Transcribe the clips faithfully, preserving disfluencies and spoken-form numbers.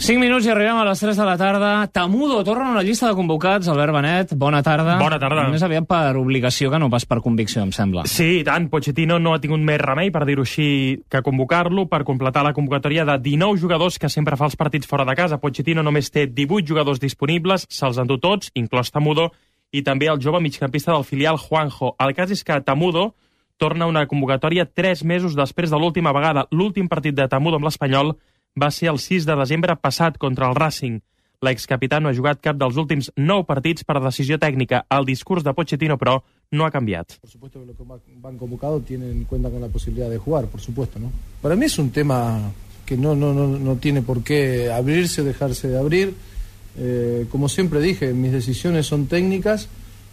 cinc minuts i arribem a les tres de la tarda. Tamudo torna a la llista de convocats. Albert Benet, bona tarda. Bona tarda. Més aviat per obligació que no pas per convicció, em sembla. Sí, i tant. Pochettino no ha tingut més remei, per dir-ho així, que convocar-lo per completar la convocatòria de dinou jugadors que sempre fa els partits fora de casa. Pochettino només té divuit jugadors disponibles, se'ls endú tots, inclòs Tamudo, i també el jove migcampista del filial Juanjo. El cas és que Tamudo torna a una convocatòria tres mesos després de l'última vegada. L'últim partit de Tamudo amb l'Espanyol va ser el sis de desembre passat contra el Racing. L'excapità no ha jugat cap dels últims nou partits per decisió tècnica. El discurs de Pochettino, però, no ha canviat. Por supuesto que los que van convocados tienen cuenta con la posibilidad de jugar, por supuesto, ¿no? Para mí es un tema que no, no, no, no tiene por qué abrirse o dejarse de abrir. Eh, como siempre dije, mis decisiones son técnicas.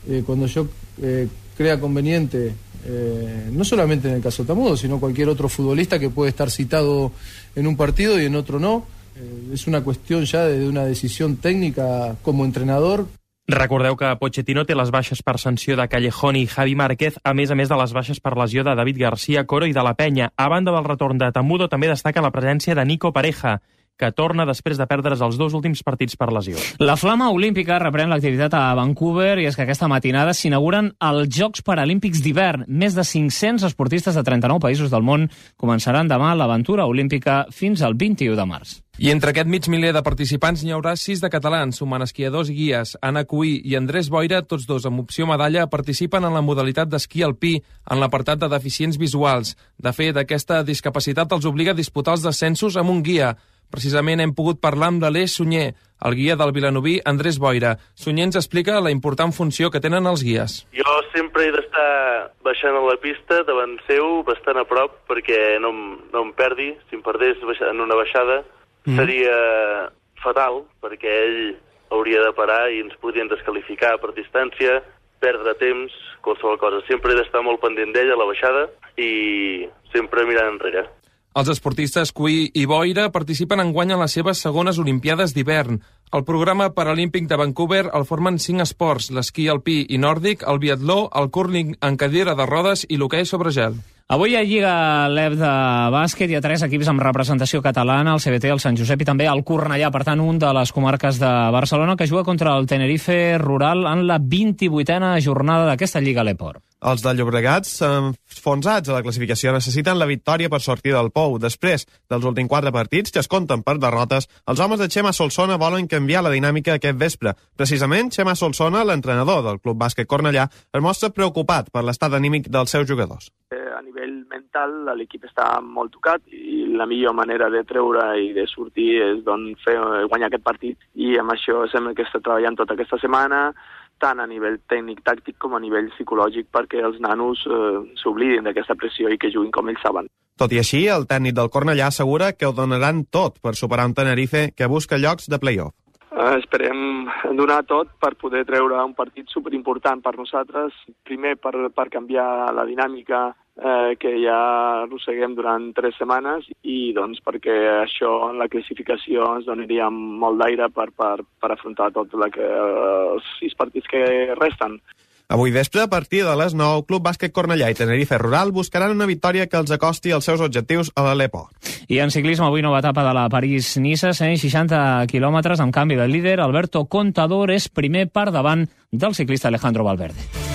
Eh, cuando yo eh, crea conveniente, eh, no solamente en el caso Tamudo, sino cualquier otro futbolista que puede estar citado en un partido y en otro no. Eh, es una cuestión ya de una decisión técnica como entrenador. Recordeu que Pochettino té les baixes per sanció de Callejón i Javi Márquez, a més a més de les baixes per lesió de David García, Coro i de la Penya. A banda del retorn de Tamudo, també destaca la presència de Nico Pareja, que torna després de perdre's els dos últims partits per lesió. La Flama Olímpica reprèn l'activitat a Vancouver i és que aquesta matinada s'inauguren els Jocs Paralímpics d'hivern. Més de cinc-cents esportistes de trenta-nou països del món començaran demà l'aventura olímpica fins al vint-i-u de març. I entre aquest mig miler de participants n'hi haurà sis de catalans, sumant esquiadors i guies. Anna Cuí i Andrés Boira, tots dos amb opció medalla, participen en la modalitat d'esquí alpí en l'apartat de deficients visuals. De fet, aquesta discapacitat els obliga a disputar els descensos amb un guia. Precisament hem pogut parlar amb l'Aleix Sunyer, el guia del vilanoví Andrés Boira. Sunyer ens explica la important funció que tenen els guies. Jo sempre he d'estar baixant a la pista davant seu, bastant a prop, perquè no, no em perdi. Si em perdés en una baixada mm. seria fatal, perquè ell hauria de parar i ens podrien descalificar per distància, perdre temps, qualsevol cosa. Sempre he d'estar molt pendent d'ell a la baixada i sempre mirant enrere. Els esportistes Cuí i Boira participen enguany en les seves segones Olimpiades d'hivern. El programa paralímpic de Vancouver el formen cinc esports: l'esquí alpí i nòrdic, el biatló, el cúrling en cadira de rodes i l'hoquei sobre gel. Avui hi ha Lliga L E V de bàsquet, hi ha tres equips amb representació catalana, el C B T, el Sant Josep i també el Cornellà, per tant, un de les comarques de Barcelona, que juga contra el Tenerife Rural en la vint-i-vuitena jornada d'aquesta Lliga Leport. Els de Llobregat, enfonsats a la classificació, necessiten la victòria per sortir del pou. Després dels últims quatre partits, que es compten per derrotes, els homes de Xema Solsona volen canviar la dinàmica aquest vespre. Precisament, Xema Solsona, l'entrenador del Club Bàsquet Cornellà, es mostra preocupat per l'estat anímic dels seus jugadors. A nivell mental, l'equip està molt tocat i la millor manera de treure i de sortir és doncs, fer, guanyar aquest partit. I amb això sembla que està treballant tota aquesta setmana, tant a nivell tècnic-tàctic com a nivell psicològic, perquè els nanos eh, s'oblidin d'aquesta pressió i que juguin com ells saben. Tot i així, el tècnic del Cornellà assegura que ho donaran tot per superar un Tenerife que busca llocs de play-off. Uh, esperem donar tot per poder treure un partit superimportant per nosaltres. Primer, per, per canviar la dinàmica eh, que ja arrosseguem durant tres setmanes i doncs perquè això en la classificació ens donaria molt d'aire per, per, per afrontar tots els sis partits que resten. Avui vespre, a partir de les nou, Club Bàsquet Cornellà i Tenerife Rural buscaran una victòria que els acosti als seus objectius a l'Aleport. I en ciclisme, avui nova etapa de la París-Niça, cent seixanta quilòmetres amb canvi de líder. Alberto Contador és primer per davant del ciclista Alejandro Valverde.